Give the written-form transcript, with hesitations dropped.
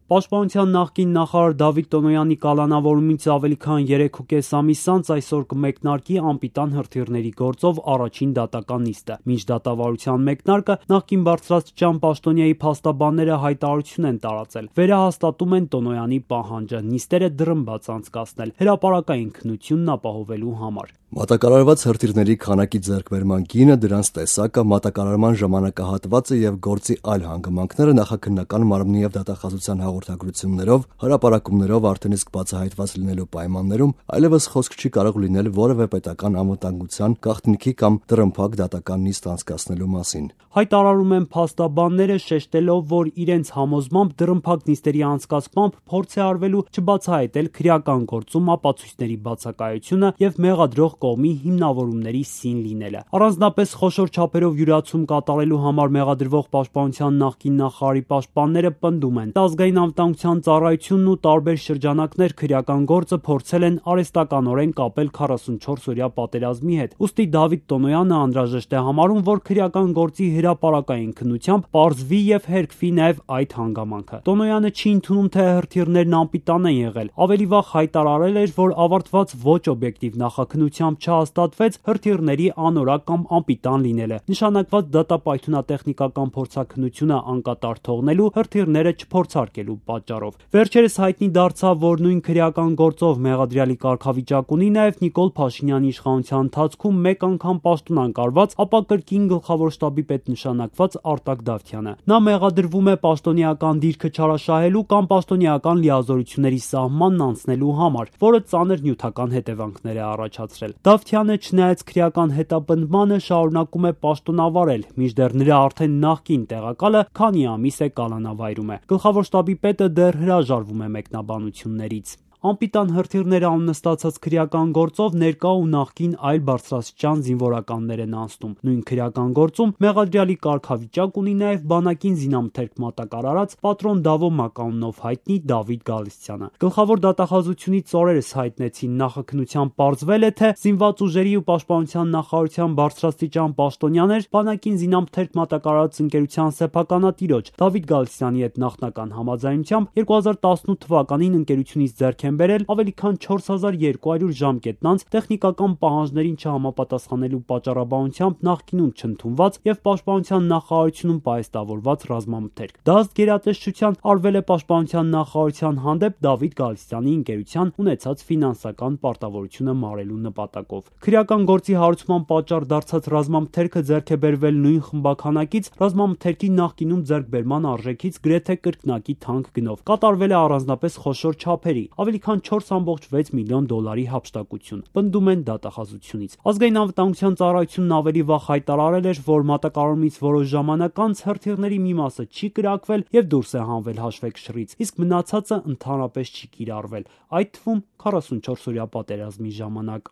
Պաշտպանության նախկին նախարար Դավիթ Տոնոյանի կալանավորումից ավելի քան 3,5 ամիս անց այսօր կմեկնարկի անպիտան հրթիռների գործով առաջին դատական նիստը։ Մինչ դատավարության մեկնարկը նախկին բարձրաստիճան պաշտոնյայի փաստաբանները հայտարարություն են տարածել։ Վերահաստատում են Տոնոյանի պահանջը նիստերը դռնբաց անցկացնել հրապարակային քննությունն ապահովելու համար։ Մատակարարված հրթիռների քանակի ձեռքբերման գինը, դրանց տեսակը, մատակարարման ժամանակահատվածը եւ գործի այլ հանգամանքները նախաքննական մարմնի եւ դատախազության հաղորդագրություններով, հրապարակումներով արդեն իսկ բացահայտված լինելու պայմաններում այլևս խոսք չի կարող լինել որևէ պետական անվտանգության, գաղտնիքի կամ դռնփակ դատական նիստ անցկացնելու մասին։ Հայտարարում են փաստաբանները, շեշտելով, որ իրենց համոզմամբ դռնփակ նիստերի անցկացմամբ փորձ է արվելու չբացահայտել քրեական գործում ապացույցների բացակայությունը եւ մեղադրող կողմի հիմնավորումների սին լինելը։ Առանձնապես խոշոր չափերով յուրացում կատարելու համար մեղադրվող պաշտպանության նախկին նախարարի պաշտպանները պնդում են, ազգային անվտանգության ծառայությունն ու տարբեր շրջանակներ քրեական գործը փորձել են արհեստականորեն կապել 44-օրյա պատերազմի հետ։ Ուստի Դավիթ Տոնոյանը անհրաժեշտ է համարում, որ քրեական գործի հրապարակային քննությամբ պարզվի եւ հերքվի նաեւ այդ հանգամանքը։ Տոնոյանը չի ընդունում, թե հրթիռներն անպիտան են եղել։ Ավելի վաղ հայտարարել էր, որ ավարտված ոչ օբյեկտիվ նախաքննությամբ չհաստատվեց հրթիռների անորակ կամ անպիտան լինելը։ Նշանակված դատապայթունատեխնիկական փորձաքննությունը անկատար թողնելու, հրթիռները չփորձարկելու պատճառով։ Վերջերս հայտնի դարձավ, որ նույն քրեական գործով մեղադրյալի կարգավիճակ ունի նաեւ Նիկոլ Փաշինյանի իշխանության ընթացքում մեկ անգամ պաշտոն անկարված, ապա կրկին գլխավոր շտաբի պետ նշանակված Արտակ Դավթյանը։ Նա մեղադրվում է պաշտոնեական դիրքը չարաշահելու կամ պաշտոնեական լիազորությունների սահմանն անցնելու համար, որը ծանր նյութական հետևանքներ է առաջացրել։ Դավթյանը, չնայած քրեական հետապնդմանը, շարունակում է պաշտոնավարել, մինչդեռ նրա արդեն նախկին տեղակալը քանի ամիս է կալանավայրում է։ Գլխավոր շտաբի պետը դեռ հրաժարվում է մեկնաբանություններից։ Անպիտան հրթիռները աննստացած քրեական գործով ներկա ու նախկին այլ բարձրաստիճան զինվորականներ են անցնում։ Նույն քրեական գործում մեղադրյալի կարգավիճակ ունի նաև բանակին զինամթերք մատակարարած պատրոն Դավո մականունով հայտնի Դավիթ Գալստյանը։ Գլխավոր դատախազությունից օրերս հայտնեցին նախաքննության պարզվել է, թե զինված ուժերի ու պաշտպանության նախարարության բարձրաստիճան պաշտոնյաներ բանակին զինամթերք մատակարարած ընկերության սեփականատիրոջ Դավիթ Գալստյանի հետ նախնական համաձայնությամբ 2018 թվականին ընկերությունից ձեռք են բերել ավելի քան 4200 ժամկետ անց տեխնիկական պահանջներին չհամապատասխանելու պատճառաբանությամբ նախկինում չընդունված եւ պաշտպանության նախարարությունում պահեստավորված ռազմամթերք։ Դա ըստ գերատեսչության արվել է պաշտպանության նախարարության հանդեպ Դավիթ Գալստյանի ընկերության ունեցած ֆինանսական պարտավորությունը մարելու նպատակով։ Քրեական գործի հարուցման պատճառ դարձած ռազմամթերքը ձեռք է բերվել նույն խմբականակից ռազմամթերքի նախկինում ձեռքբերման արժեքից գրեթե կրկնակի թանկ գնով։ Կատարվել է առանձնապես խոշոր չափերի, ավելի քան 4.6 միլիոն դոլարի հափշտակություն, պնդում են դատախազությունից։ Ազգային անվտանգության ծառայությունն ավելի վաղ հայտարարել էր, որ մատակարարումից որոշ ժամանակ անց հրթիռների մի մասը չի կրակվել եւ դուրս է հանվել հաշվեկշռից, իսկ մնացածը ընդհանրապես չի կիրառվել, այդ թվում 44-օրյա պատերազմի ժամանակ։